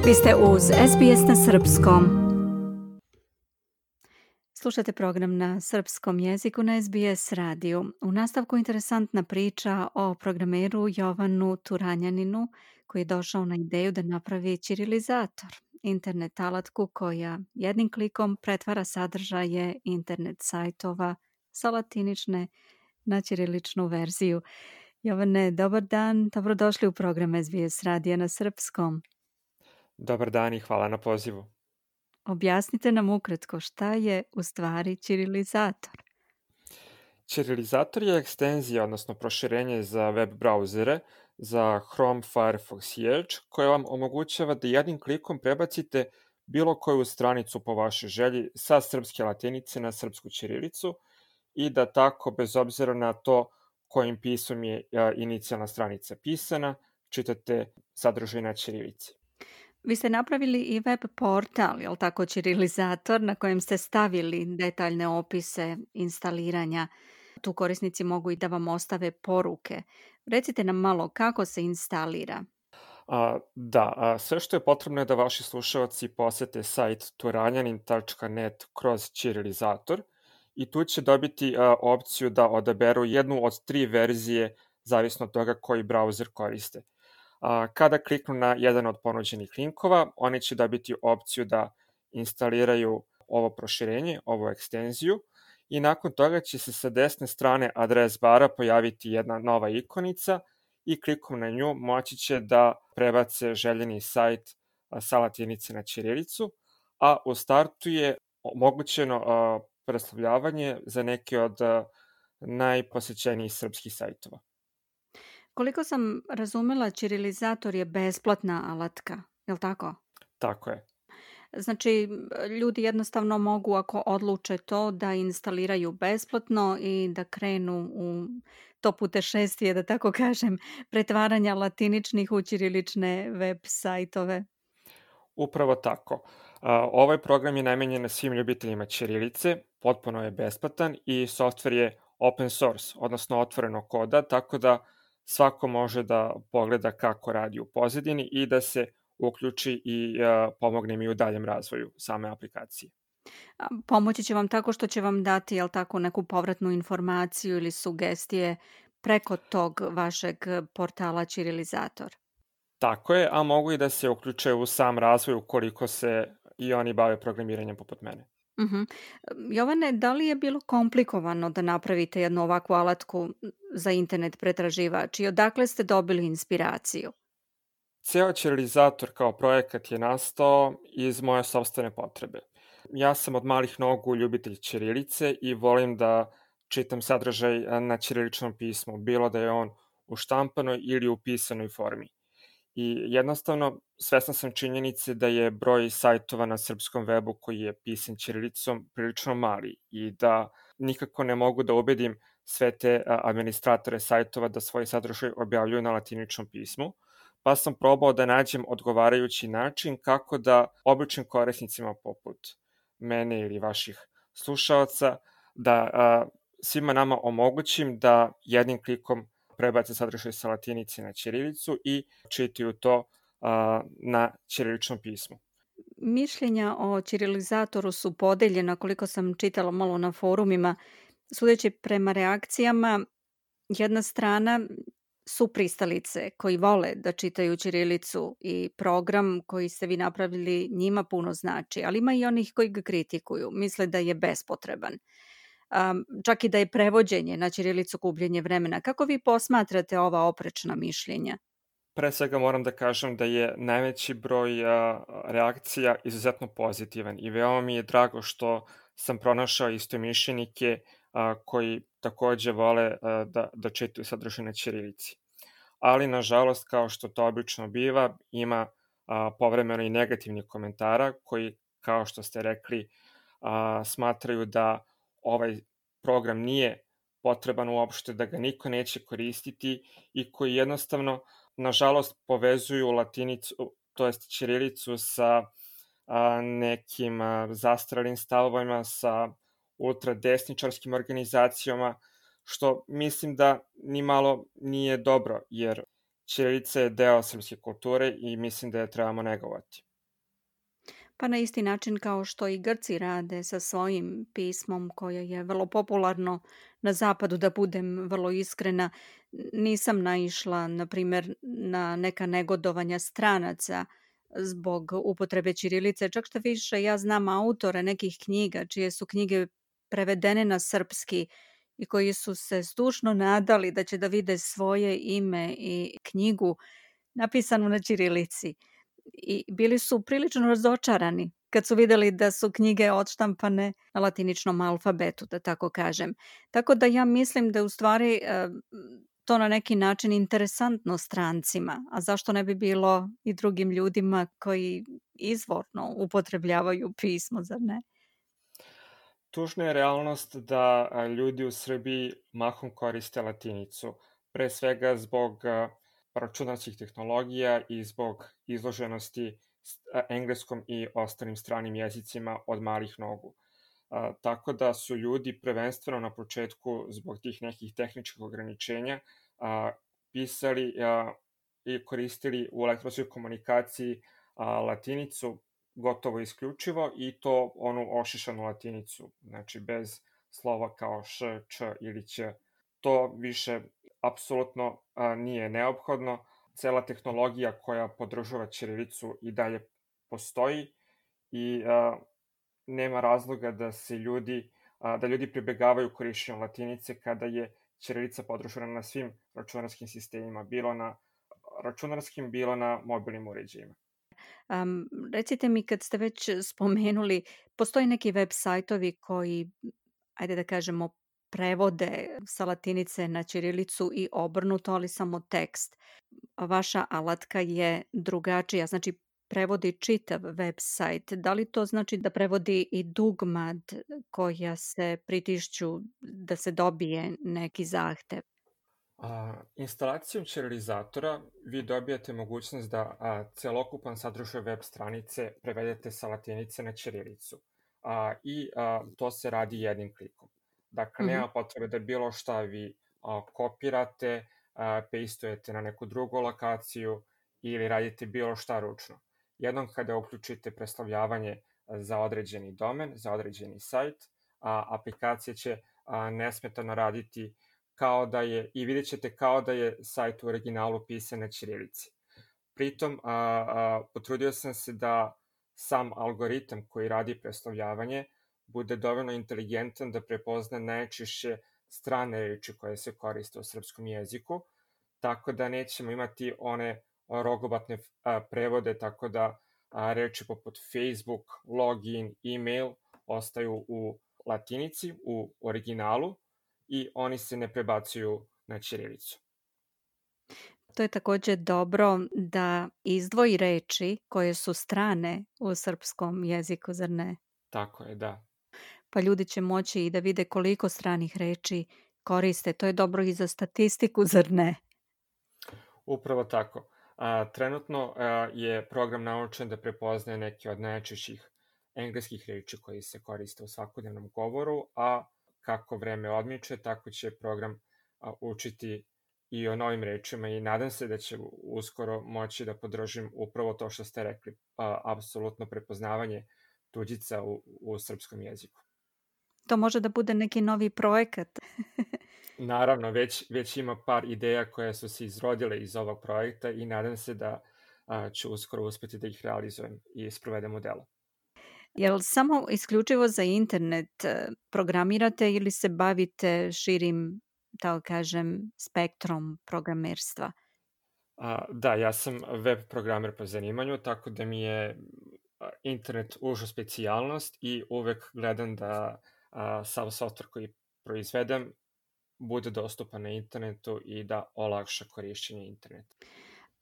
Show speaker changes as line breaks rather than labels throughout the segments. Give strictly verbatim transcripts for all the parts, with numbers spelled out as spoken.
Vi ste uz S B S na srpskom. Slušate program na srpskom jeziku na S B S radiju. U nastavku interesantna priča o programeru Jovanu Turanjaninu koji je došao na ideju da napravi ćirilizator, internet alatku koja jednim klikom pretvara sadržaje internet sajtova sa latinične na ćiriličnu verziju. Jovane, dobar dan, dobrodošli u program S B S radija na srpskom.
Dobar dan i hvala na pozivu.
Objasnite nam ukratko šta je u stvari ćirilizator.
Ćirilizator je ekstenzija, odnosno proširenje za web brauzere, za Chrome, Firefox i Edge, koje vam omogućava da jednim klikom prebacite bilo koju stranicu po vašoj želji sa srpske latinice na srpsku ćirilicu i da tako, bez obzira na to kojim pisom je inicijalna stranica pisana, čitate sadržaj na ćirilici.
Vi ste napravili i web portal, je li tako, ćirilizator, na kojem ste stavili detaljne opise instaliranja. Tu korisnici mogu i da vam ostave poruke. Recite nam malo kako se instalira.
A, da, a, sve što je potrebno je da vaši slušalci posete sajt turanjanin tačka net kroz ćirilizator i tu će dobiti a, opciju da odaberu jednu od tri verzije zavisno od toga koji brauzer koriste. A, kada kliknu na jedan od ponuđenih linkova, oni će dobiti opciju da instaliraju ovo proširenje, ovu ekstenziju i nakon toga će se sa desne strane adres bara pojaviti jedna nova ikonica i klikom na nju moći će da prebace željeni sajt sa latinice na ćirilicu, a u startu je omogućeno preslavljavanje za neke od najposećenijih srpskih sajtova.
Koliko sam razumela, ćirilizator je besplatna alatka, je li tako?
Tako je.
Znači, ljudi jednostavno mogu, ako odluče to, da instaliraju besplatno i da krenu u to putešestvije, da tako kažem, pretvaranja latiničnih u ćirilične web sajtove.
Upravo tako. Ovaj program je namenjen svim ljubiteljima ćirilice, potpuno je besplatan i softver je open source, odnosno otvoreno koda, tako da svako može da pogleda kako radi u pozadini i da se uključi i pomogne mi u daljem razvoju same aplikacije.
Pomoći će vam tako što će vam dati, jel tako, neku povratnu informaciju ili sugestije preko tog vašeg portala ćirilizator.
Tako je, a mogu i da se uključe u sam razvoj ukoliko se i oni bave programiranjem poput mene.
Uh-huh. Jovane, da li je bilo komplikovano da napravite jednu ovakvu alatku za internet pretraživač i odakle ste dobili inspiraciju?
Ceo ćirilizator kao projekat je nastao iz moje sopstvene potrebe. Ja sam od malih nogu ljubitelj ćirilice i volim da čitam sadržaj na ćiriličnom pismu, bilo da je on u štampanoj ili u pisanoj formi. I jednostavno, svestan sam činjenice da je broj sajtova na srpskom webu koji je pisan ćirilicom prilično mali i da nikako ne mogu da ubedim sve te administratore sajtova da svoj sadržaj objavljuju na latiničnom pismu, pa sam probao da nađem odgovarajući način kako da običnim korisnicima poput mene ili vaših slušalaca, da a, svima nama omogućim da jednim klikom prebace sadržaj sa latinice na ćirilicu i čitaju to a, na ćiriličnom pismu.
Mišljenja o ćirilizatoru su podeljena, koliko sam čitala malo na forumima. Sudeći prema reakcijama, jedna strana su pristalice koji vole da čitaju ćirilicu i program koji ste vi napravili njima puno znači, ali ima i onih koji ga kritikuju, misle da je bespotreban. Um, čak i da je prevođenje na ćirilicu gubljenje vremena. Kako vi posmatrate ova oprečna mišljenja?
Pre svega moram da kažem da je najveći broj a, reakcija izuzetno pozitivan i veoma mi je drago što sam pronašao istomišljenike a, koji takođe vole a, da, da čitaju sadržaj na ćirilici. Ali, nažalost, kao što to obično biva, ima a, povremeno i negativnih komentara koji, kao što ste rekli, a, smatraju da ovaj program nije potreban uopšte, da ga niko neće koristiti i koji jednostavno, nažalost, povezuju latinicu, to jest ćirilicu sa a, nekim a, zastralim stavovima, sa ultradesničarskim organizacijama, što mislim da ni malo nije dobro, jer ćirilica je deo srpske kulture i mislim da je trebamo negovati.
Pa na isti način kao što i Grci rade sa svojim pismom koje je vrlo popularno na zapadu, da budem vrlo iskrena. Nisam naišla, na primjer, na neka negodovanja stranaca zbog upotrebe ćirilice. Čak šta više, ja znam autore nekih knjiga čije su knjige prevedene na srpski i koji su se zdušno nadali da će da vide svoje ime i knjigu napisanu na ćirilici. I bili su prilično razočarani kad su videli da su knjige odštampane na latiničnom alfabetu, da tako kažem. Tako da ja mislim da je u stvari e, to na neki način interesantno strancima, a zašto ne bi bilo i drugim ljudima koji izvorno upotrebljavaju pismo, zar ne?
Tužna je realnost da a, ljudi u Srbiji mahom koriste latinicu, pre svega zbog a, računarskih tehnologija i zbog izloženosti s- a, engleskom i ostalim stranim jezicima od malih nogu. A, tako da su ljudi prvenstveno na početku zbog tih nekih tehničkih ograničenja a, pisali a, i koristili u elektronskoj komunikaciji a, latinicu gotovo isključivo i to onu ošišanu latinicu, znači bez slova kao š, č ili ć. To više apsolutno a, nije neophodno. Cela tehnologija koja podržava ćirilicu i dalje postoji i a, nema razloga da se ljudi a, da ljudi pribegavaju korišćenju latinice kada je ćirilica podržana na svim računarskim sistemima, bilo na računarskim, bilo na mobilnim uređajima.
Am, recite mi kad ste već spomenuli, postoje neki web sajtovi koji, ajde da kažemo, prevode sa latinice na ćirilicu i obrnuto, ali samo tekst. A vaša alatka je drugačija, znači prevodi čitav web sajt. Da li to znači da prevodi i dugmad koja se pritišću da se dobije neki zahtev?
A, instalacijom ćirilizatora vi dobijate mogućnost da a, celokupan sadržaj web stranice prevedete sa latinice na ćirilicu. A, I a, to se radi jednim klikom. Dakle,
Mhm.
nema potrebe da bilo šta vi a, kopirate, a, pastujete na neku drugu lokaciju ili radite bilo šta ručno. Jednom kada uključite preslovljavanje za određeni domen, za određeni sajt, a, aplikacija će a, nesmetano raditi kao da je, i vidjet ćete kao da je sajt u originalu pisan na ćirilici. Pritom, a, a, potrudio sam se da sam algoritam koji radi preslovljavanje bude dovoljno inteligentan da prepozna najčešće strane reči koje se koriste u srpskom jeziku, tako da nećemo imati one rogobatne a, prevode, tako da a, reči poput Facebook, login, email ostaju u latinici, u originalu, i oni se ne prebacuju na ćirilicu.
To je takođe dobro da izdvoji reči koje su strane u srpskom jeziku, zar ne?
Tako je, da.
Pa ljudi će moći i da vide koliko stranih reči koriste. To je dobro i za statistiku, zar ne?
Upravo tako. A, trenutno a, je program naučen da prepoznaje neke od najčešćih engleskih reči koji se koriste u svakodnevnom govoru, a kako vreme odmiče, tako će program a, učiti i o novim rečima i nadam se da će uskoro moći da podržim upravo to što ste rekli, a, apsolutno prepoznavanje tuđica u, u srpskom jeziku.
To može da bude neki novi projekat.
Naravno, već, već ima par ideja koje su se izrodile iz ovog projekta i nadam se da a, ću uskoro uspeti da ih realizujem i sprovedem u delo.
Jel samo isključivo za internet e, programirate ili se bavite širim, tako kažem, spektrom programerstva?
A, da, ja sam web programer po zanimanju, tako da mi je a, internet uža specijalnost i uvek gledam da a, sav software koji proizvedem bude dostupan na internetu i da olakša korišćenje interneta.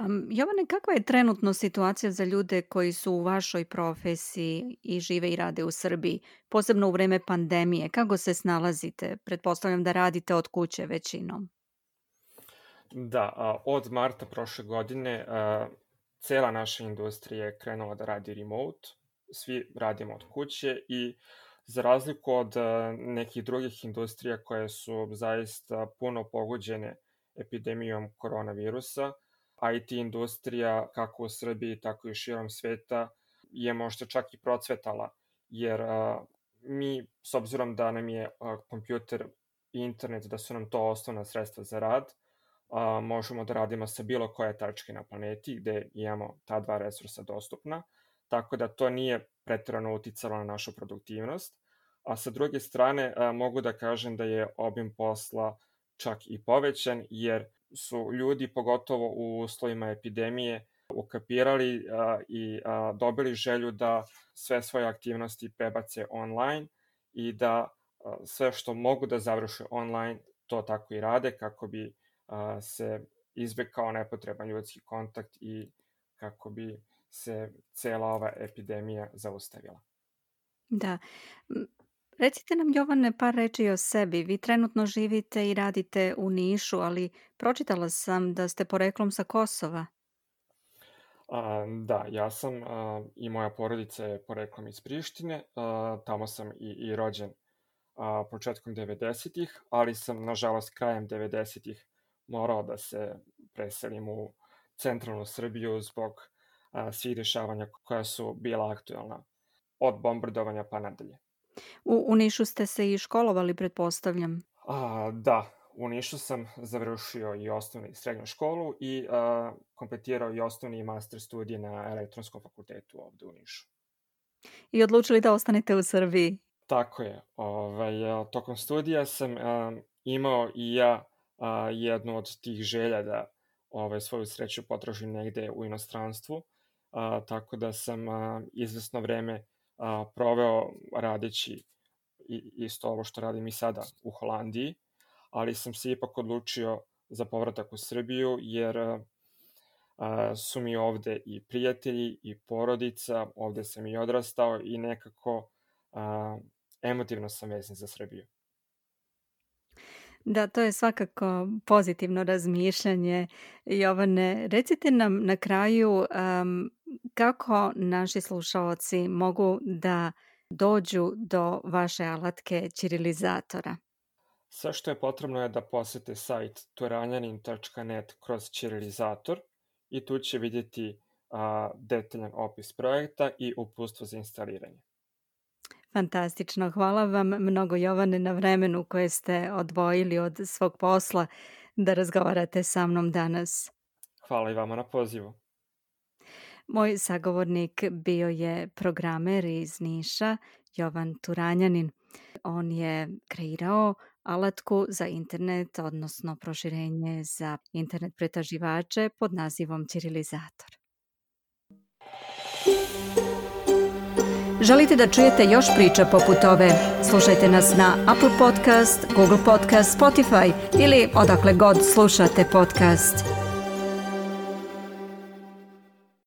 Um, Jovane, kakva je trenutno situacija za ljude koji su u vašoj profesiji i žive i rade u Srbiji, posebno u vreme pandemije? Kako se snalazite? Pretpostavljam da radite od kuće većinom.
Da, a, od marta prošle godine a, cela naša industrija je krenula da radi remote, svi radimo od kuće i za razliku od a, nekih drugih industrija koje su zaista puno pogođene epidemijom koronavirusa, I T industrija kako u Srbiji, tako i širom sveta je možda čak i procvetala, jer a, mi, s obzirom da nam je a, kompjuter i internet, da su nam to osnovna sredstva za rad, a, možemo da radimo sa bilo koje tačke na planeti gde imamo ta dva resursa dostupna, tako da to nije preterano uticalo na našu produktivnost. A sa druge strane, a, mogu da kažem da je obim posla čak i povećan, jer su ljudi, pogotovo u uslovima epidemije, ukapirali a, i a, dobili želju da sve svoje aktivnosti prebace online i da a, sve što mogu da završe online, to tako i rade, kako bi a, se izbegao nepotreban ljudski kontakt i kako bi se cela ova epidemija zaustavila.
Da. Recite nam, Jovane, par reči o sebi. Vi trenutno živite i radite u Nišu, ali pročitala sam da ste poreklom sa Kosova.
A, da, ja sam a, i moja porodica je poreklom iz Prištine, a, tamo sam i, i rođen a, početkom devedesetih, ali sam, nažalost, krajem devedesetih morao da se preselim u centralnu Srbiju zbog a, svih dešavanja koja su bila aktuelna, od bombardovanja pa nadalje.
U, u Nišu ste se i školovali, pretpostavljam.
A, da, u Nišu sam završio i osnovnu i srednju školu i a, kompletirao i osnovni i master studije na elektronskom fakultetu ovde u Nišu.
I odlučili da ostanete u Srbiji.
Tako je. Ovaj, a, tokom studija sam a, imao i ja a, jednu od tih želja da ovaj, svoju sreću potražim negde u inostranstvu, a, tako da sam a, izvesno vreme a, proveo radeći i, isto ovo što radim i sada u Holandiji, ali sam se ipak odlučio za povratak u Srbiju, jer a, su mi ovde i prijatelji i porodica, ovde sam i odrastao i nekako a, emotivno sam vezan za Srbiju.
Da, to je svakako pozitivno razmišljanje. Jovane, recite nam na kraju um, kako naši slušaoci mogu da dođu do vaše alatke ćirilizatora.
Sve što je potrebno je da posete sajt turanjanin tačka net kroz ćirilizator i tu će vidjeti a, detaljan opis projekta i uputstvo za instaliranje.
Fantastično. Hvala vam mnogo, Jovane, na vremenu koje ste odvojili od svog posla da razgovarate sa mnom danas.
Hvala i vama na pozivu.
Moj sagovornik bio je programer iz Niša, Jovan Turanjanin. On je kreirao alatku za internet, odnosno proširenje za internet pretraživače pod nazivom Ćirilizator. Želite da čujete još priča poput ove? Slušajte nas na Apple Podcast, Google Podcast, Spotify ili odakle god slušate podcast.